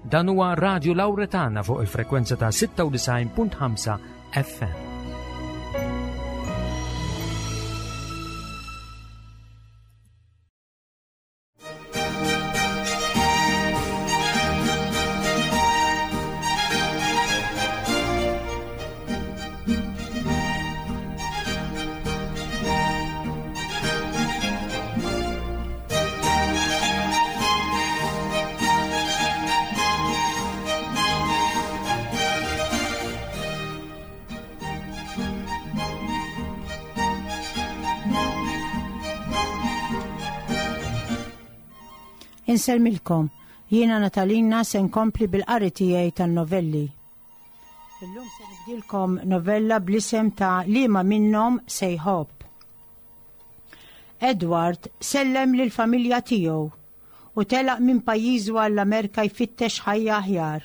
Dan huwa Radio Lauretana fuq il-frekwenza ta' 96.5 FM. Insellmilkom, jiena Natalina se nkompli bil-qari tiegħi tan-novelli. Illum se nibdilkom novella bl-isem ta' Liema minnhom se jħobb. Edward sellem lill-familja tiegħu u telaq minn pajjiżu għall-Amerka jfittex ħajja aħjar.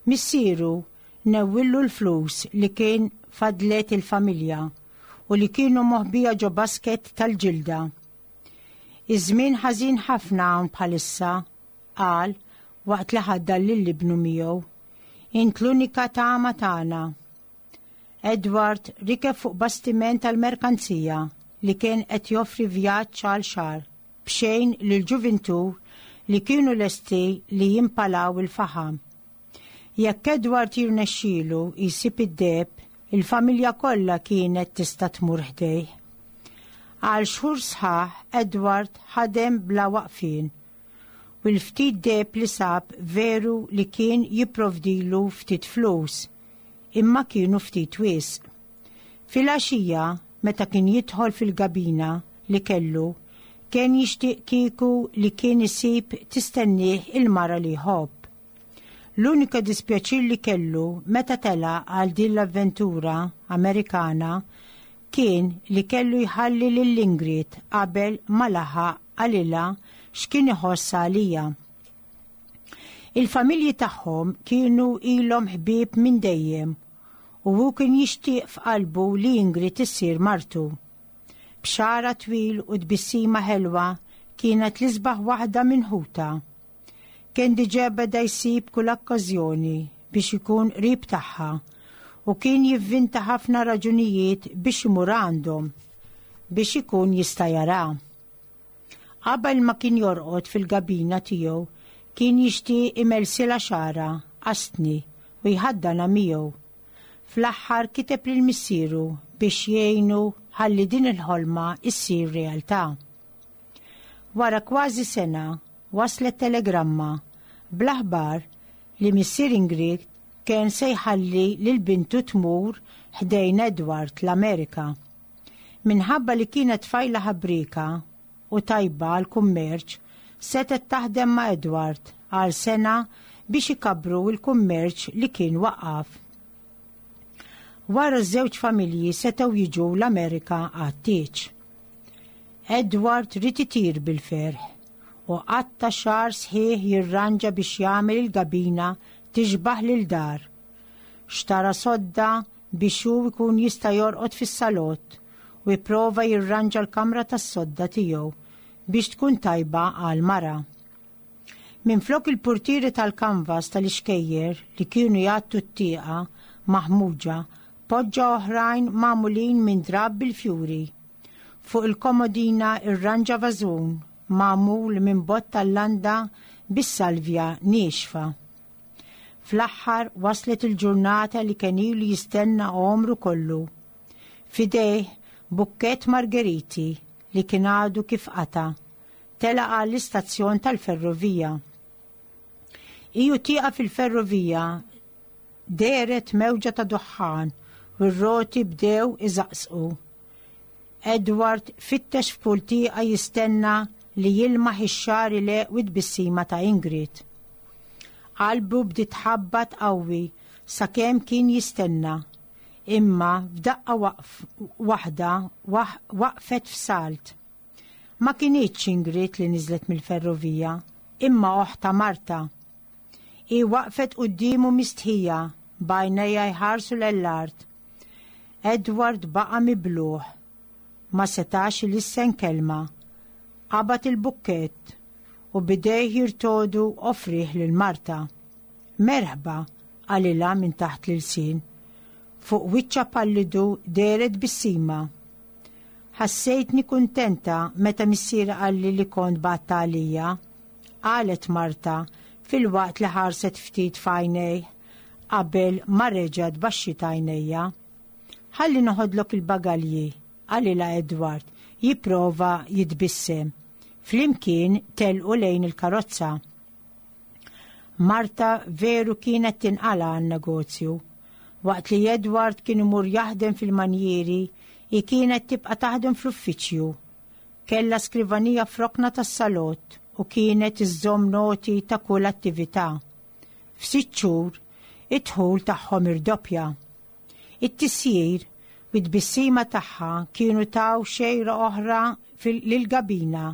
Missieru newwillu l-flus li kien fadlet il-familja u li kienu moħbija ġo basket tal-ġilda. Iż-żmien ħażin ħafna hawn bħalissa, qal waqt li ħaddan lil ibnu miegħu. Int l-unika tama tagħna. Edward rikeb fuq bastiment tal-merkanzija li kien qed joffri vjaġġ għal xahar b'xejn lil ġuvintur li kienu lesti li jimpalaw il-faħam. Jekk Edward jirnexxielu jsib id-deheb, il-familja kollha kienet tista' tmur ħdejh. Għal xhur sħaħ Edward ħadem bla waqfien u l-ftit deheb li sab veru li kien jipprovdilu ftit flus, imma kienu ftit wisq. Filgħaxija, meta kien jidħol fil-gabina li kellu, kien jixtieq kieku li kien isib tistennieh il-mara li jħobb. L-unika dispjaċir li kellu meta telaq għal din l-avventura Amerikana kien li kellu jħalli lil Ingrid qabel ma laħaq qalilha x'kien iħoss għalija. Il-familji tagħhom kienu ilhom ħbieb minn dejjem u hu kien jixtieq f'qalbu li Ingrid issir martu. B'xagħarha twil u tbissima ħelwa kienet l-isbaħ waħda minn ħutha. Kien diġà beda jsib kull okkażjoni biex ikun qrib tagħha u kien jivvinta ħafna raġunijiet biex imur għandhom biex ikun jista' jaraha. Qabel ma kien jorqod fil-gabina tiegħu kien jixtieq imelsilha xagħarha qastni u jħaddanha miegħu. Fl-aħħar kiteb lil missieru biex jgħinu ħalli din il-ħolma ssir realtà. Wara kważi sena waslet telegramma bl-aħbar li missier Ingrid kien se jħalli lil bintu tmur ħdejn Edward l-Amerika. Minħabba li kienet tfajla ħabrieka u tajba għall-kummerċ, setgħet taħdem ma' Edward għal sena biex ikabbru l-kummerċ li kien waqqaf. Wara ż-żewġ familji setgħu jiġu l-Amerika għat-tieġ. Edward ried itir bil-ferħ u qatta' xahar sħiħ jirranġa biex jagħmel il-gabina tixbah lil dar. Xtara sodda biex hu jkun jista' jorqod fis-salott u jipprova jirranġa l-kamra tas-sodda tiegħu biex tkun tajba għal mara. Minflok il-purtieri tal-kanvas tal-ixkejjer li kienu jgħattu t-tieqa maħmuġa, poġġa oħrajn magħmulin minn drapp bil-fjuri. Fuq il-komodina rranġa vażun magħmul minn bott tal-landa bis-salvja niexfa. Fl-aħħar waslet il-ġurnata li kien ilu jistenna għomru kollu. F'idejh bukkett margeriti li kien għadu kif qata', telaq għall-istazzjon tal-ferrovija. Iju tieqa fil-ferrovija dehret mewġa ta' duħħan u r-roti bdew iżaqsqu. Edward fittex f'kull tieqa jistenna li jilmaħ ix-xagħar ileqq u t-tbissima ta' Ingrid. Qalbu bdiet tħabbat qawwi sakemm kien jistenna, imma f'daqqa waħda waqfet f'salt. Ma kinitx Ingrid li niżlet mill-ferrovija, imma oħtha Marta. Hi waqfet quddiemu mistħija, b'għajnejha jħarsu lejn l-art. Edward baqa' mibluh. Ma setax ilissen kelma. Qabad il-bukkett u b'idejh jirtogħdu offrieh lil Marta. Merħba, qalilha minn taħt l-ilsien. Fuq wiċċha pallidu dehret tbissima. Ħassejtni kuntenta meta missieri qalli li kont bgħatt għalija, qalet Marta filwaqt li ħarset ftit f'għajnejh qabel ma reġgħet baxxiet għajnejha. Ħalli noħodlok il-bagalji, qalilha Edward, jipprova jitbissem. Flimkien telqu lejn il-karozza. Marta veru kienet tinqala' għan-negozju. Waqt li Edward kien imur jaħdem fil-manjieri, hi kienet tibqa' taħdem fl-uffiċċju. Kellha skrivanija f'rokna tas-salott u kienet iżżomm noti ta' kull attività. F'sitt xhur, id-dħul tagħhom irdoppja. It-tisjir u t-tbissima tagħha kienu taw xejra oħra lill-gabina.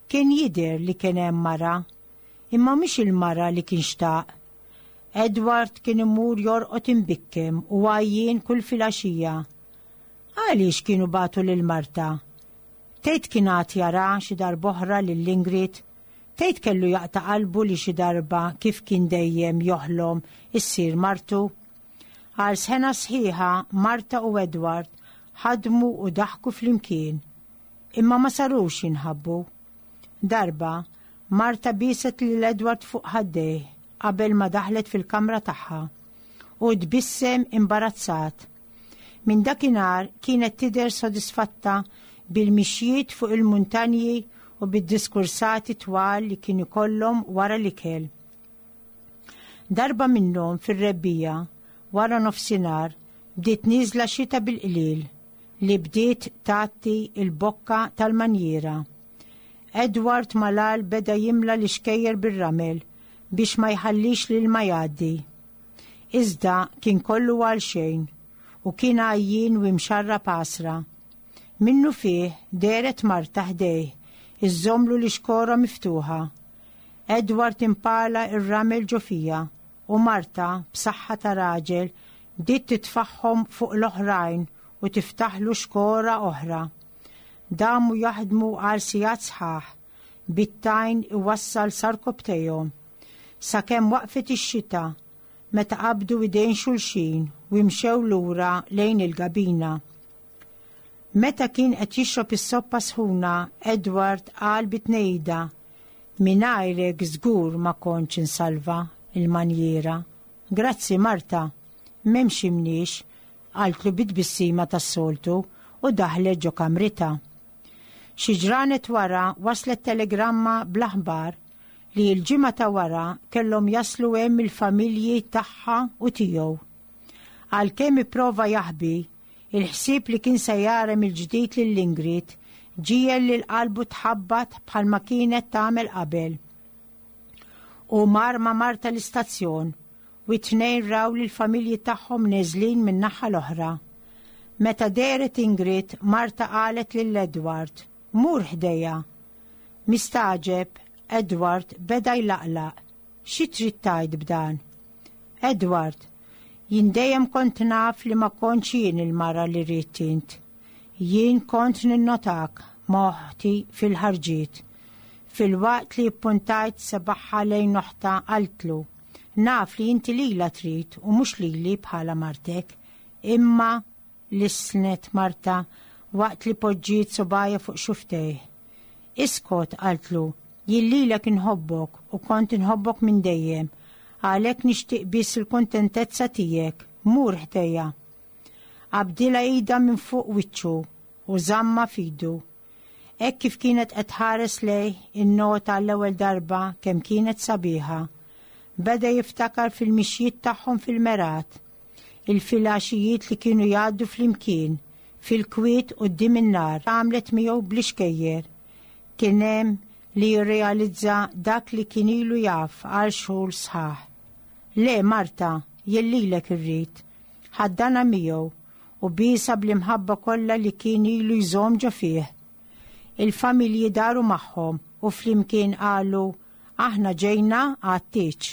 Kien jidher li kien hemm mara, imma mhix il-mara li kien xtaq. Edward kien imur jorqod imbikkem u għajjien kull filgħaxija. Għaliex kienu bagħtu lil Marta? Tgħid kien għad jara xi darb'oħra lil Ingrid? Tgħid kellu jaqta' qalbu li xi darba kif kien dejjem joħlom issir martu? Għal sena sħiħa Marta u Edward ħadmu u daħku flimkien. Imma ma sarux jinħabbu. Darba, Marta bieset lil Edward fuq ħaddejh qabel ma daħlet fil-kamra tagħha. U tbissem imbarazzat. Minn dakinhar kienet tidher sodisfatta bil-mixjiet fuq il-muntanji u bid-diskursati twal li kien ikollhom wara l-ikel. Darba minnhom fir-rebbiegħa, wara nofsinhar, bdiet nieżla xita bil-qliel li bdiet tgħatti l-bokka tal-manjiera. Edward malal beda jimla l-ixkejjer bir-ramel biex ma jħallix l-ilma jgħaddi. Iżda kien kollu għalxejn u kien għajjien u imxarrab għasra. Minnufih dehret Marta ħdejh iżżommlu l-ixkora miftuħa. Edward impala r-ramel ġo fija u Marta, b'saħħa ta' raġel, bdiet titfagħhom fuq l-oħrajn u tiftaħlu xkora oħra. Damu jaħdmu għal sigħat sħaħ, bit-tajn iwassal sa rkopptejhom. Sakemm waqfet ix-xita, meta qabdu idejn xulxin u imxew lura lejn il-gabina. Meta kien qed jixrob is-soppa sħuna, Edward qal bi tnehida, Mingħajrek żgur ma kontx insalva l-manjiera. Grazzi, Marta. M'hemmx imniex, qaltlu bi tbissima tas-soltu u daħlet ġo kamritha. Xi ġranet wara waslet telegramma bl-aħbar li l-ġimgħa ta' wara kellhom jaslu hemm il-familji tagħha u tiegħu. Għalkemm ipprova jaħbi, il-ħsieb li kien se jara mill-ġdid lil Ingrid ġiegħel lil qalbu tħabbat bħalma kienet tagħmel qabel. Hu mar ma' Marta l-istazzjon u t-tnejn raw lill-familji tagħhom neżlin min-naħa l-oħra. Meta dehret Ingrid, Marta qalet lil Edward, Mur ħdejha. Mistagħġeb, Edward beda jlaqlaq. Xi trid tgħid b'dan? Edward, jien dejjem kont naf li ma kontx jien il-mara li ridt int. Jien kont ninnotak ma' oħti fil-ħarġiet. Filwaqt li ppuntajt sebagħha lejn oħtha qaltlu, Naf li inti lilha trid u mhux lili bħala martek. Imma, lissnet Marta waqt li poġġiet subgħajha fuq xufftejh. Iskot, qaltlu, jien lilek inħobbok u kont inħobbok minn dejjem, għalhekk nixtieq biss il-kuntentezza tiegħek, mur ħdejja. Qabdilha idha minn fuq wiċċu u żammha f'idu. Hekk kif kienet qed tħares lejh, innota għall-ewwel darba kemm kienet sabiħa. Beda jiftakar fil-mixjiet tagħhom fil-mergħat, il-filgħaxijiet li kienu jgħaddu flimkien, fil-kwiet quddiem in-nar, għamlet miegħu bl-ixkejjer. Kien hemm li jirrealizza dak li kien ilu jaf għal xhur sħaħ. Le, Marta, jien lilek irrid. Ħaddanha miegħu u biesha bl-imħabba kollha li kien ilu jżomm ġo fih. Il-familji daru magħhom u flimkien qalu, Aħna ġejna għat-tieġ.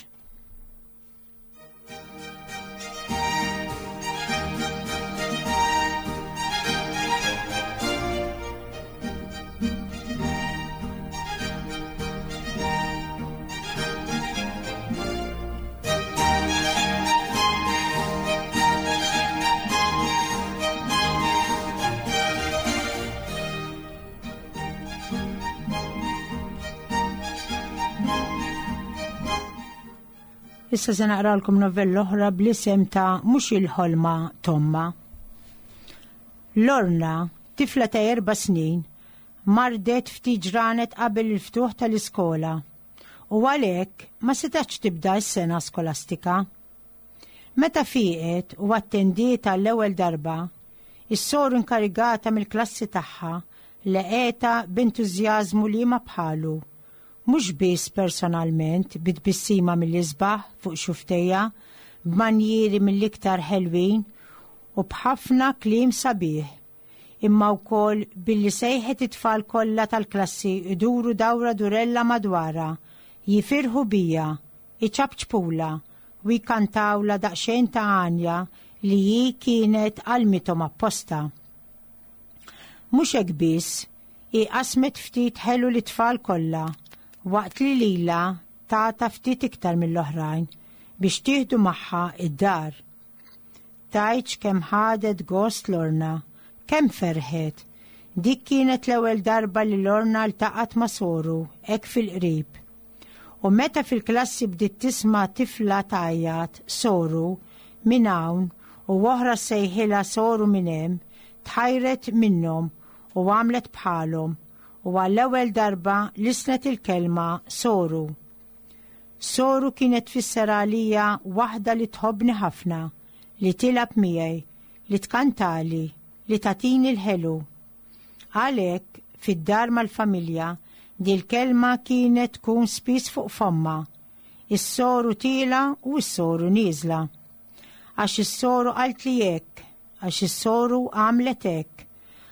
Issa se naqralkom novella oħra bl-isem ta' Mhux il-ħolma t'ommha. Lorna, tifla ta' erba' snin, mardet ftit ġranet qabel il-ftuħ tal-iskola u għalhekk ma setgħetx tibda s-sena skolastika. Meta fieqet u attendiet għall-ewwel darba, is-soru inkarigata mill-klassi tagħha laqgħetha b'entużjażmu liema bħalu, mhux biss personalment bi tbissima mill-isbaħ fuq xufftejha, b'manjieri mill-iktar ħelwin u b'ħafna kliem sabiħ, imma wkoll billi sejħet it-tfal kollha tal-klassi jduru dawra durella madwarha, jifirħu biha, iċapċpulha u jkantawlha daqsxejn ta' għanja li hi kienet għallmithom apposta. Mhux hekk biss, hi qasmet ftit ħelu lit-tfal kollha, waqt li lilha tatha ftit iktar mill-oħrajn biex tieħdu magħha id-dar. Tgħidx kemm ħadet gost Lorna, kemm ferħet. Dik kienet l-ewwel darba li Lorna ltaqgħet ma' soru hekk fil-qrib. U meta fil-klassi bdiet tisma' tifla tgħajjat soru minn hawn u oħra ssejħilha soru minn hemm, tħajret minnhom u għamlet bħalhom u għall-ewwel darba lissnet il-kelma soru. Soru kienet tfisser għalija waħda li tħobbni ħafna, li tilgħab miegħi, li tkantali, li tagħtini l-ħelu. Għalhekk, fid-dar mal-familja, dil-kelma kienet tkun spiss fuq fommha, is-soru tiela' u s-soru nieżla. Għax is-soru qaltli hekk, għax is-soru għamlet hekk,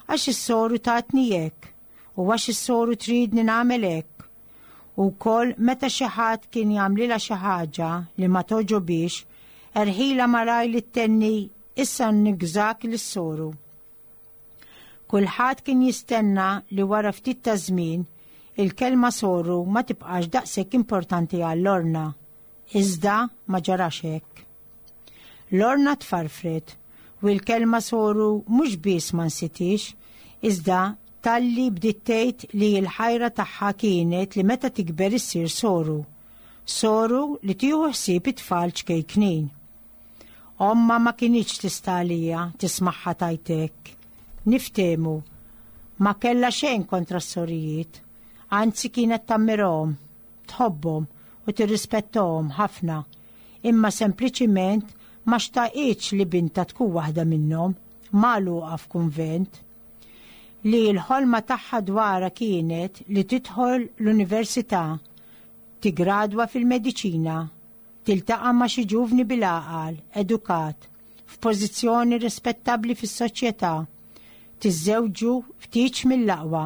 għax is-soru tatni hekk, u għax is-soru tridni nagħmel hekk. U wkoll meta xi ħadd kien jagħmlilha xi ħaġa li ma togħġobhiex, erħilha malajr li ttenni issa nigżak lis-soru. Kulħadd kien jistenna li wara ftit ta' żmien il-kelma soru ma tibqax daqshekk importanti għal Lorna. Iżda ma ġarax hekk. Lorna tfarfret u l-kelma soru mhux biss ma nsitix, iżda talli bdiet tgħid li l-ħajra tagħha kienet li meta tikber issir soru. Soru li tieħu ħsieb it-tfal ċkejknin. Ommha ma kinitx tista' għaliha tismagħha tgħid hekk. Niftehmu, ma kellha xejn kontra s-sorijiet, anzi kienet tammirahom. tħobbhom u tirrispettohom ħafna, imma sempliċiment ma xtaqitx li bintha tkun waħda minnhom, magħluqa f'kunvent. Li l-ħolma tagħha dwarha kienet li tidħol l-università, tiggradwa fil-mediċina, tiltaqa' ma' xi ġuvni bil-għaqal, edukat, f'pożizzjoni rispettabbli fis-soċjetà, tiżżewġu f'tieġ mill-aqwa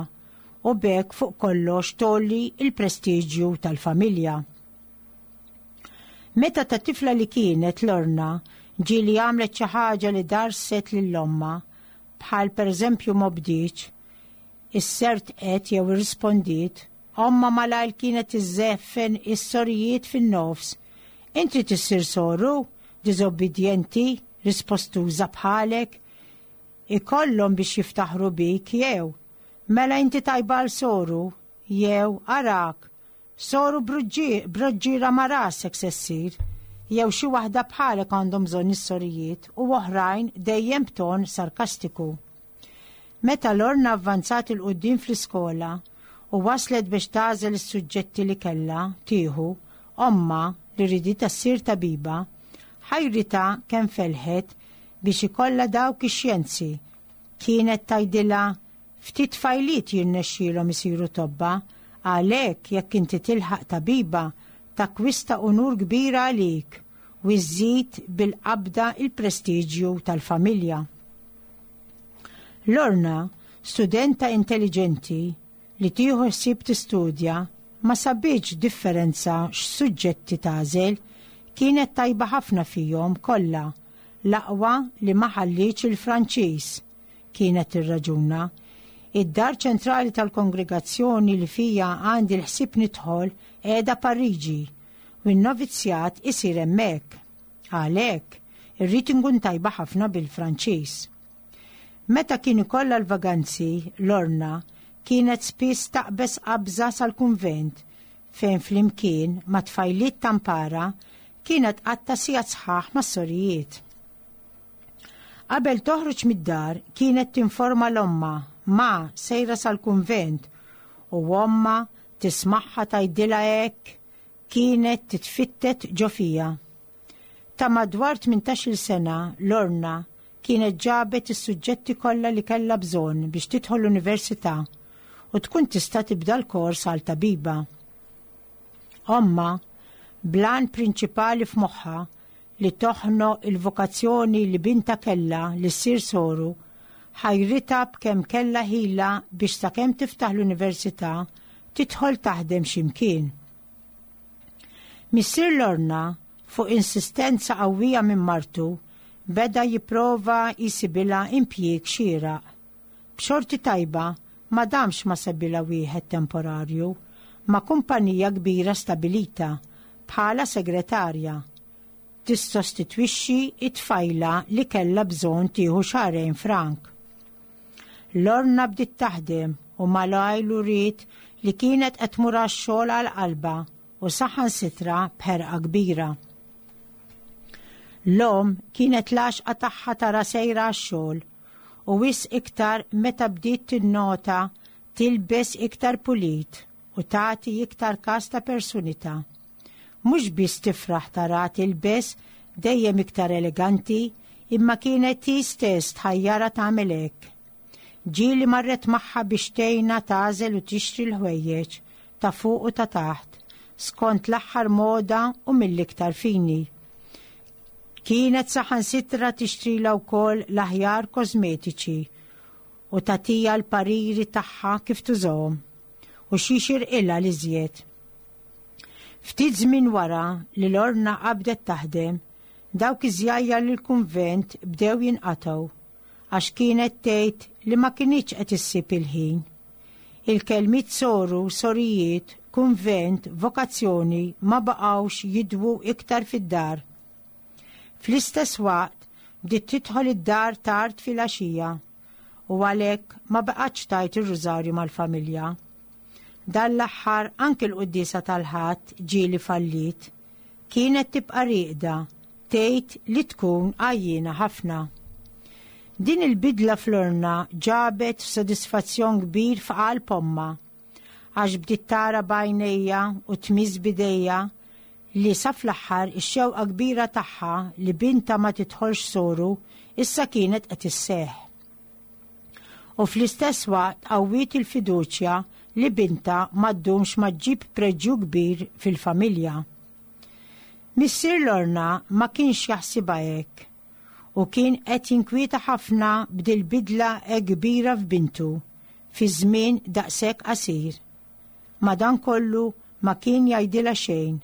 u b'hekk fuq kollox tgħolli l-prestiġju tal-familja. Meta ta' tifla li kienet Lorna ġieli għamlet xi ħaġa li darset lil ommha, bħal pereżempju m'obdietx, issertqet jew irrispondiet, ommha malajr kienet iżżeffen is-sorijiet fin-nofs. Int trid issir soru, diżobbidjenti, rispostuża bħalek? Ikollhom biex jiftaħru bik jew, Mela inti tajba għal soru, jew, Arak, soru broġġiera ma' rasek se ssir, jew xi waħda bħalek għandhom bżonn is-sorijiet u oħrajn dejjem b'ton sarkastiku. Meta Lorna avvanzat 'il quddiem fl-iskola u waslet biex tagħżel is-suġġetti li kellha tieħu, ommha, li riditha ssir tabiba, ħajritha kemm felħet biex ikollha dawk ix-xjenzi. Kienet tgħidilha, Ftit tfajliet jirnexxielhom isiru tobba, għalhekk jekk inti tilħaq tabiba, takkwista unur kbir għalik u żżid bil-qabda l-prestiġju tal-familja. Lorna, studenta intelliġenti li tieħu ħsieb tistudja, ma sabitx differenza x'suġġetti tagħżel, kienet tajba ħafna fihom kollha, l-aqwa li ma ħallietx il-Franċiż, kienet tirraġuna. Id-dar ċentrali tal-kongregazzjoni li fija għandi l-ħsieb nidħol qiegħda Pariġi u n-novizzjat isir hemmhekk. Għalhekk, irrid inkun tajba ħafna bil-Franċiż. Meta kien ikollha l-vaganzi, Lorna kienet spiss taqbeż qabża sal-kunvent fejn flimkien ma' tfajliet ta' mpara kienet tqatta' sigħat sħaħ mas-sorijiet. Qabel toħroġ mid-dar kienet tinforma 'l ommha, Ma, sejra sal-kunvent, u ommha tismagħha tgħidilha hekk kienet titfittet ġo fiha. Ta' madwar 18-il sena, Lorna kienet ġabet is-suġġetti kollha li kellha bżonn biex tidħol l-università u tkun tista' tibda l-kors għal tabiba. Ommha, bl-għan prinċipali f'moħħha li toħnoq il-vokazzjoni li bintha kellha li ssir soru, ħajritha b'kemm kellha ħila biex sakemm tiftaħ l-università tidħol taħdem xi mkien. Missier Lorna, fuq insistenza qawwija minn martu, beda jipprova jsibilha impjieg xieraq. B'xorti tajba ma damx ma sebilha wieħed temporarju ma' kumpanija kbira stabilita bħala segretarja, tissostitwixxi t-tfajla li kellha bżonn tieħu xahrejn frank. Lorna bdiet taħdem u malajr uriet li kienet qed tmur għax-xogħol għal qalbha u saħansitra b'ħerqa kbira. L-omm kienet l-għaxqa tagħha tara sejra għax-xogħol u wisq iktar meta bdiet tinnota tilbes iktar pulit u tagħti iktar kas ta' persunità. Mhux biss tifraħ taraha tilbes dejjem iktar eleganti imma kienet hi stess tħajjarha tagħmel hekk. Ġieli marret magħha biex tgħinha tagħżel u tixtri l-ħwejjeġ ta' fuq u ta' taħt, skont l-aħħar moda u mill-iktar fini. Kienet saħansitra tixtrilha wkoll l-aħjar kosmetiċi u tagħtiha l-pariri tagħha kif tużahom u xi jixirqilha l-iżjed. Ftit żmien wara li Lorna qabdet taħdem, dawk iż-żjajjar lill-kunvent bdew jinqatgħu għax kienet tgħid li ma kinitx qed issib il-ħin. Il-kelmiet soru, sorijiet, kunvent, vokazzjoni ma baqgħux jidwu iktar fid-dar. Fl-istess waqt bdiet tidħol id-dar tard filgħaxija u għalhekk ma baqgħetx tgħid ir-rużarju mal-familja. Dan l-aħħar anki l-quddiesa tal-Ħadd ġieli falliet. Kienet tibqa' rieqda, tgħid li tkun għajjiena ħafna. Din il-bidla f'Lorna ġabet sodisfazzjon kbir f'qalb ommha għax bdiet tara b'għajnejha u tmiss b'idejha li sa fl-aħħar ix-xewqa kbira tagħha li bintha ma tidħolx soru issa kienet qed isseħħ. U fl-istess waqt qawwiet il-fiduċja li bintha ma ddumx ma ġġib preġju kbir fil-familja. Missier Lorna ma kienx jaħsibha hekk u kien qed jinkwieta ħafna b'dil-bidla hekk kbira f'bintu fi żmien daqshekk qasir. Madankollu ma kien jgħidilha xejn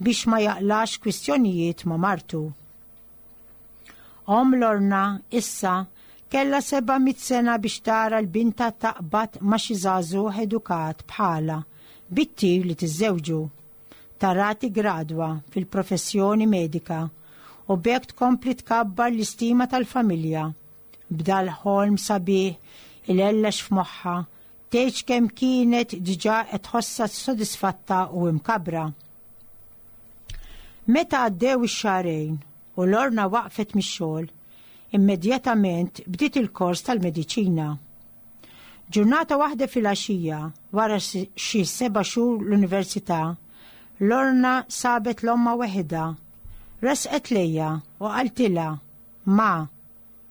biex ma jaqlax kwistjonijiet ma' martu. Omm Lorna, issa, kellha 700 sena biex tara 'l bintha taqbad ma' xi żagħżugħ edukat bħalha bit-tir li tiżżewġu. Tara tiggradwa fil-professjoni medika u b'hekk tkompli tkabbar l-istima tal-familja. B'dal-ħolm sabiħ ilellex f'moħħha, tgħidx kemm kienet diġà qed tħossha sodisfatta u imkabbra. Meta għaddew ix-xahrejn u Lorna waqfet mix-xogħol, immedjatament bdiet il-kors tal-mediċina. Ġurnata waħda filgħaxija, wara xi seba' xhur l-università, Lorna sabet l-ommha weħidha. Resqet lejha u qaltilha, Ma,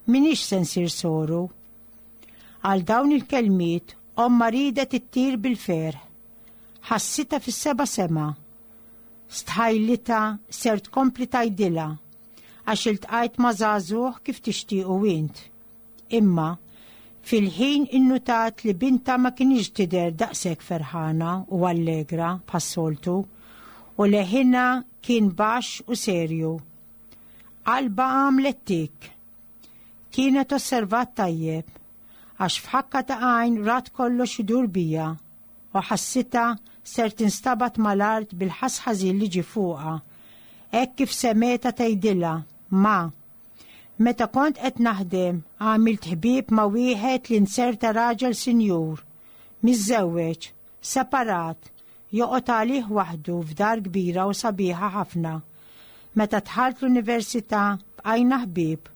M'iniex se nsir soru. Għal dawn il-kelmiet ommha riedet ittir bil-ferħ. Ħassitha fis-seba' sema. Stħajlitha ser tkompli tgħidilha, għax iltqajt ma' żagħżugħ kif tixtiequ int. Imma, fil-ħin innutat li bintha ma kinitx tidher daqshekk ferħana u allegra bħas-soltu u leħinha kien baxx u serju. Qalbha għamlet tikk. Kienet osservat tajjeb, għax f'ħakka ta' għajn rat kollox idur bija u ħassitha ser tinstabat mal-art bil-ħass ħażin li ġie fuqha, hekk kif semgħetha tgħidilha, Ma, meta kont qed naħdem għamilt ħbieb ma' wieħed li nzerta raġel sinjur, miżżewweġ, Separat, joqgħod għalih waħdu f'dar kbira u sabiħa ħafna. Meta dħalt l-università bqajna ħbieb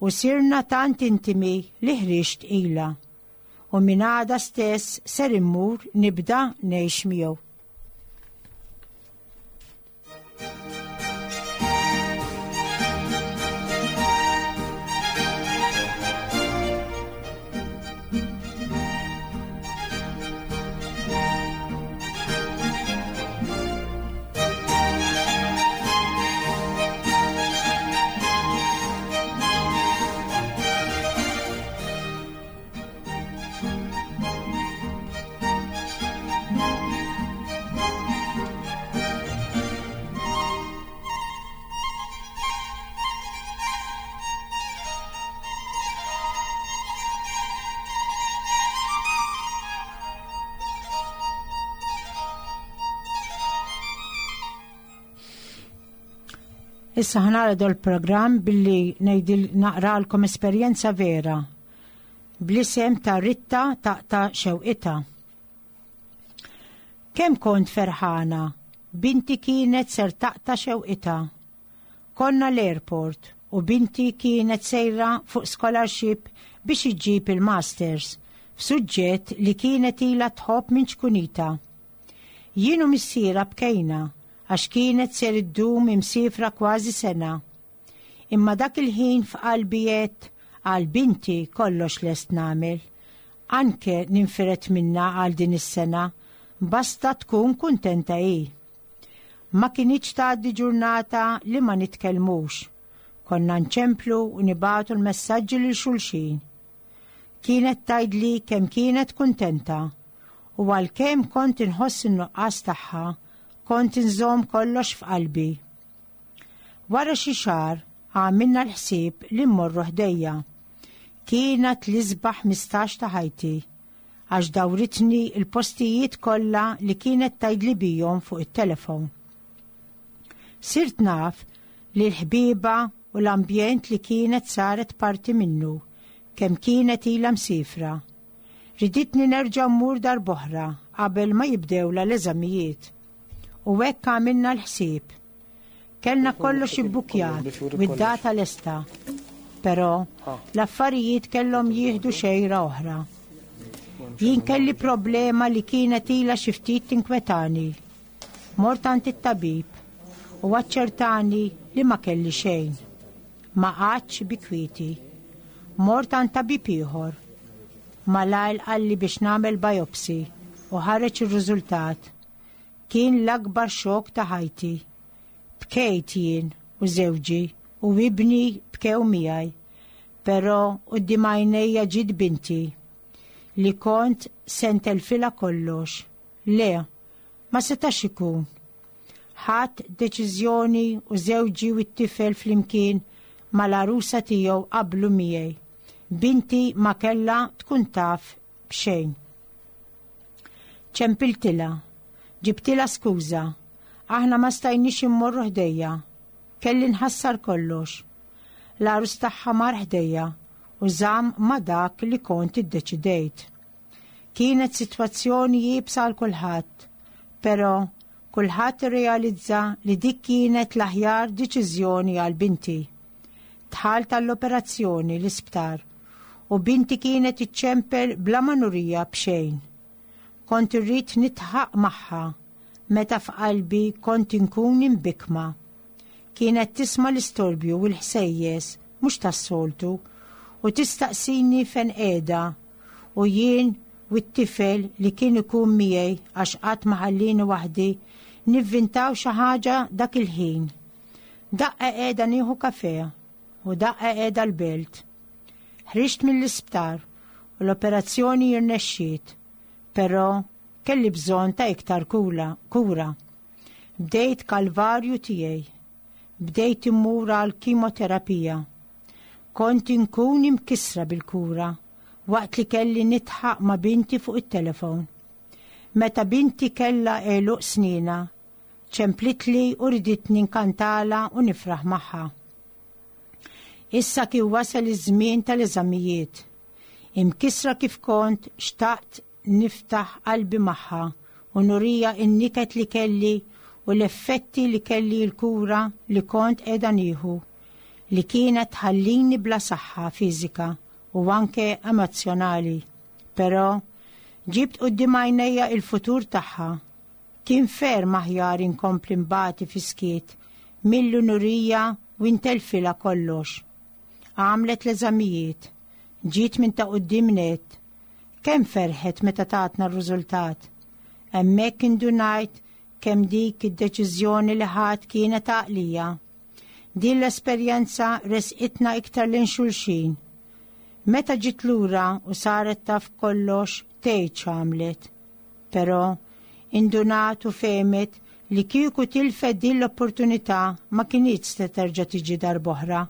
u sirna tant intimi li ħriġt ilha. U minn għada stess ser immur nibda ngħix miegħu. Issa ħnara dol programm billi ngħidil naqralkom esperjenza vera bl-isem ta' Ritta taqta' xewqitha. Kemm kont ferħana, binti kienet ser taqta' xewqitha. Konna l-airport u binti kienet sejra fuq scholarship biex iġġib il-masters f'suġġett li kienet ilha tħobb minn ċkunita. Jien u missierha bkejna għax kienet ser iddum imsiefra kważi sena. Imma dak il-ħin f'qalbi għedt għal binti kollox lest nagħmel. Anke ninfired minnha għal din is-sena, basta tkun kuntenta hi. Ma kinitx tgħaddi ġurnata li ma nitkellmux. Konna nċemplu u nibagħtu l-messaġġi lil xulxin. Kienet tgħidli kemm kienet kuntenta u għalkemm kont inħoss in-nuqqas tagħha, kont inżomm kollox f'qalbi. Wara xi xahar għamilna l-ħsieb li mmorru ħdejja. Kienet l-isbaħ 15 ta' ħajti għax dawritni l-postijiet kollha li kienet tgħidli bihom fuq it-telefon. Sirt naf li l-ħbieba u l-ambjent li kienet saret parti minnu kemm kienet ilha msiefra. Riditni nerġa' mmur darb'oħra qabel ma jibdewlha l-eżamijiet. U hekk għamilna l-ħsieb. Kellna kollox ibbukjat u d-data lesta. Però l-affarijiet kellhom jieħdu xejra oħra. Jien kelli problema li kienet ilha xi ftit tinkwetani. Mort għand it-tabib u aċċertani li ma kelli xejn. Ma qgħadtx bi kwieti. Mort għand tabib ieħor. Malajr qalli biex nagħmel biopsy u ħareġ ir-riżultat. Kien l-akbar xokk ta' ħajti. Bkejt jien u żewġi u ibni bkew miegħi. Però quddiem għajnejja ġiet binti li kont se ntelfilha kollox. Le, ma setax ikun. Ħadt deċiżjoni u żewġi u t-tifel flimkien mal-għarusa tiegħu qablu miegħi. Binti ma kellha tkun taf b'xejn. Ċempiltilha. Ġibtilha skuża. Aħna ma stajniex immorru ħdejja. Kelli nħassar kollox. L-għarus tagħha mar ħdejja u żamm ma' dak li kont iddeċidejt. Kienet sitwazzjoni iebsa għal kulħadd, però kulħadd irrealizza li dik kienet l-aħjar deċiżjoni għal binti. Dħalt għall-operazzjoni l-isptar u binti kienet iċċempel bla ma nurija b'xejn. Kont irrid nidħaq magħha meta f'qalbi kont inkun imbikkma. Kienet tisma' l-istorbju u l-ħsejjes mhux tas-soltu u tistaqsini fejn qiegħda u jien u t-tifel li kien ikun miegħi għax qatt ma ħallini waħdi nivvintaw xi ħaġa dak il-ħin. Daqqa qiegħda nieħu kafè u daqqa qiegħda l-belt. Ħriġt mill-isptar u l-operazzjoni irnexxiet, però kelli bżonn ta' iktar kura. kura. Bdejt kalvarju tiegħi. Bdejt immur għal kimoterapija. Kont inkun imkissra bil-kura waqt li kelli nidħaq ma' binti fuq it-telefon. Meta binti kellha għeluq snina, ċemplitli u riditni nkantalha u nifraħ magħha. Issa kien wasal iż-żmien tal-eżamijiet. Imkissra kif kont xtaqt niftaħ qalbi magħha u nurija n-niket li kelli u l-effetti li kelli l-kura li kont qiegħda nieħu li kienet tħallini bla saħħa fiżika u anke emozzjonali. Però ġibt quddiem għajnejja il-futur tagħha. Kien ferm aħjar inkompli nbati fis-skiet milli nurija u ntelfilha kollox. Għamlet l-eżamijiet. Ġiet minn ta' quddiem nett. Kemm ferħet meta tatna r-riżultat. Hemmhekk indunajt kemm dik id-deċiżjoni li ħadt kienet għaqlija. Din l-esperjenza resqitna iktar lejn xulxin. Meta ġiet lura u saret taf kollox tgħid x'għamlet. Però, indunat u fehmet li kieku tilfet din l-opportunità ma kinitx se terġa' tiġi darb'oħra.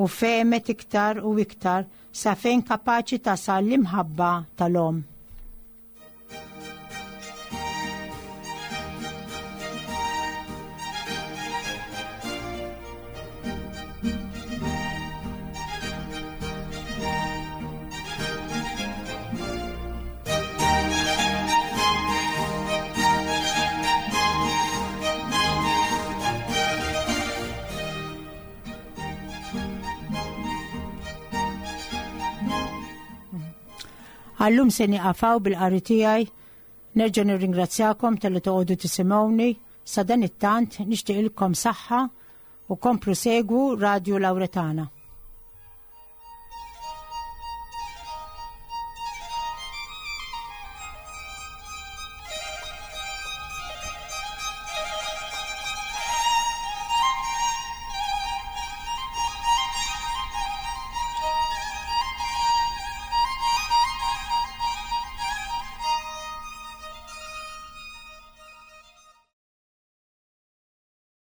U fehmet iktar u iktar sa fejn kapaċi tasal l-imħabba tal-omm. Għallum se nieqafaw bil-qari tiegħi. Nerġa' nirringrazzjakom talli toqgħodu tisimgħuni. Sa dan it-tant nixtieqilkom saħħa u komplu segwu Radio Lauretana.